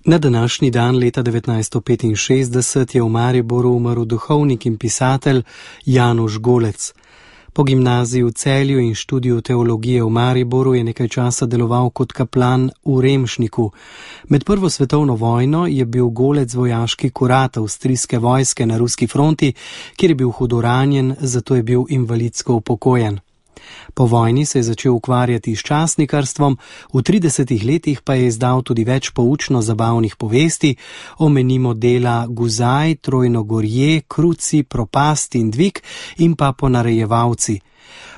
Na današnji dan leta 1965 je v Mariboru umrl duhovnik in pisatelj Januš Golec. Po gimnaziji v Celju in študiju teologije v Mariboru je nekaj časa deloval kot kaplan v Remšniku. Med prvo svetovno vojno je bil Golec vojaški kurat avstrijske vojske na ruski fronti, kjer je bil hudo ranjen, zato je bil invalidsko upokojen. Po vojni se je začel ukvarjati s časnikarstvom, v 30 letih pa je izdal tudi več poučno-zabavnih povesti, omenimo dela Guzaj, Trojno gorje, Kruci, Propast in Dvig in pa Ponarejevalci.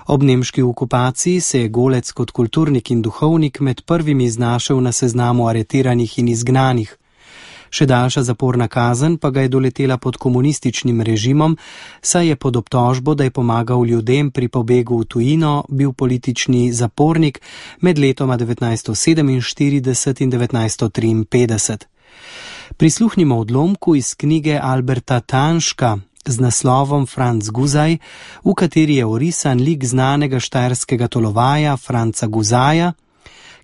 Ob nemški okupaciji se je Golec kot kulturnik in duhovnik med prvimi znašel na seznamu aretiranih in izgnanih. Še daljša zaporna kazen pa ga je doletela pod komunističnim režimom, saj je pod obtožbo, da je pomagal ljudem pri pobegu v tujino, bil politični zapornik med letoma 1947 in 1953. Prisluhnimo odlomku iz knjige Alberta Tanška z naslovom Franc Guzaj, v kateri je orisan lik znanega štajerskega tolovaja Franca Guzaja,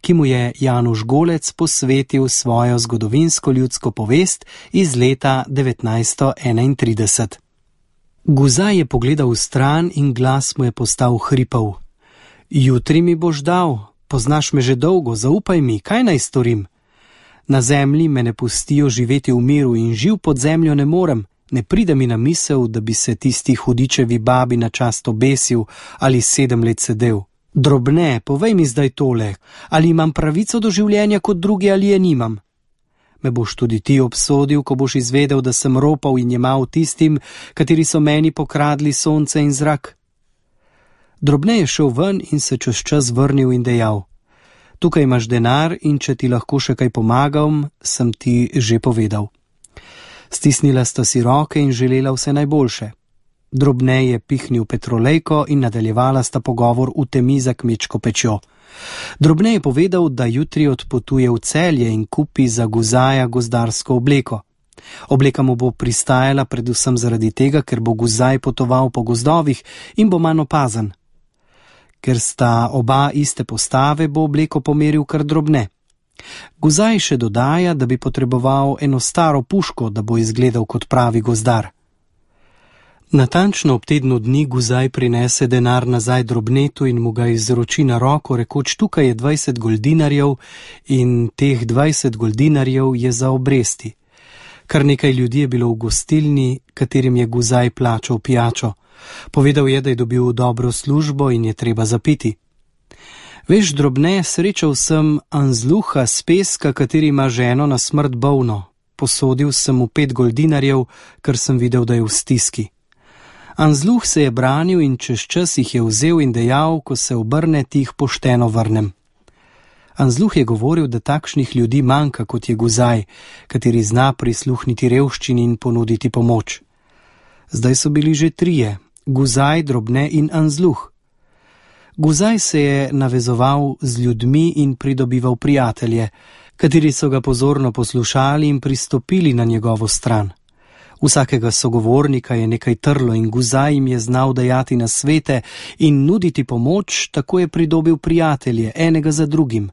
ki mu je Januš Golec posvetil svojo zgodovinsko ljudsko povest iz leta 1931. Guzaj je pogledal v stran in glas mu je postal hripav. Jutri mi boš dal, poznaš me že dolgo, zaupaj mi, kaj naj storim? Na zemlji me ne pustijo živeti v miru in živ pod zemljo ne morem. Ne pride mi na misel, da bi se tisti hudičevi babi na čast obesil ali 7 let sedel. Drobne, povej mi zdaj tole, ali imam pravico do življenja kot drugi ali je nimam? Me boš tudi ti obsodil, ko boš izvedel, da sem ropal in jemal tistim, kateri so meni pokradli sonce in zrak? Drobne je šel ven in se čez čas vrnil in dejal: tukaj imaš denar in če ti lahko še kaj pomagam, sem ti že povedal. Stisnila sta si roke in želela vse najboljše. Drobne je pihnil petrolejko in nadaljevala sta pogovor v temi za kmečko pečjo. Drobne je povedal, da jutri odpotuje v Celje in kupi za Guzaja gozdarsko obleko. Obleka mu bo pristajala predvsem zaradi tega, ker bo Guzaj potoval po gozdovih in bo manj opazen. Ker sta oba iste postave, bo obleko pomeril kar Drobne. Guzaj še dodaja, da bi potreboval eno staro puško, da bo izgledal kot pravi gozdar. Natančno ob tednu dni Guzaj prinese denar nazaj Drobnetu in mu ga izroči na roko, rekoč: tukaj je 20 goldinarjev in teh 20 goldinarjev je za obresti. Kar nekaj ljudi je bilo v gostilni, katerim je Guzaj plačal pijačo. Povedal je, da je dobil dobro službo in je treba zapiti. Veš, Drobne, srečal sem Anzluha s Peska, kateri ima ženo na smrt bolno. Posodil sem mu 5 goldinarjev, ker sem videl, da je v stiski. Anzluh se je branil in čez čas jih je vzel in dejal: ko se obrne, ti jih pošteno vrnem. Anzluh je govoril, da takšnih ljudi manjka, kot je Guzaj, kateri zna prisluhniti revščini in ponuditi pomoč. Zdaj so bili že 3, Guzaj, Drobne in Anzluh. Guzaj se je navezoval z ljudmi in pridobival prijatelje, kateri so ga pozorno poslušali in pristopili na njegovo stran. Vsakega sogovornika je nekaj trlo in Guzaj jim je znal dajati nasvete in nuditi pomoč, tako je pridobil prijatelje, enega za drugim,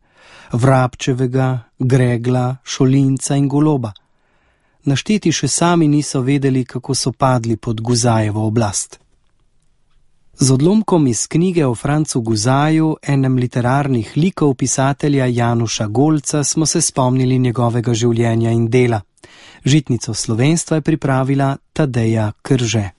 Vrabčevega, Gregla, Šolinca in Goloba. Našteti še sami niso vedeli, kako so padli pod Guzajevo oblast. Z odlomkom iz knjige o Francu Guzaju, enem literarnih likov pisatelja Januša Golca, smo se spomnili njegovega življenja in dela. Žitnico slovenstva je pripravila Tadeja Krže.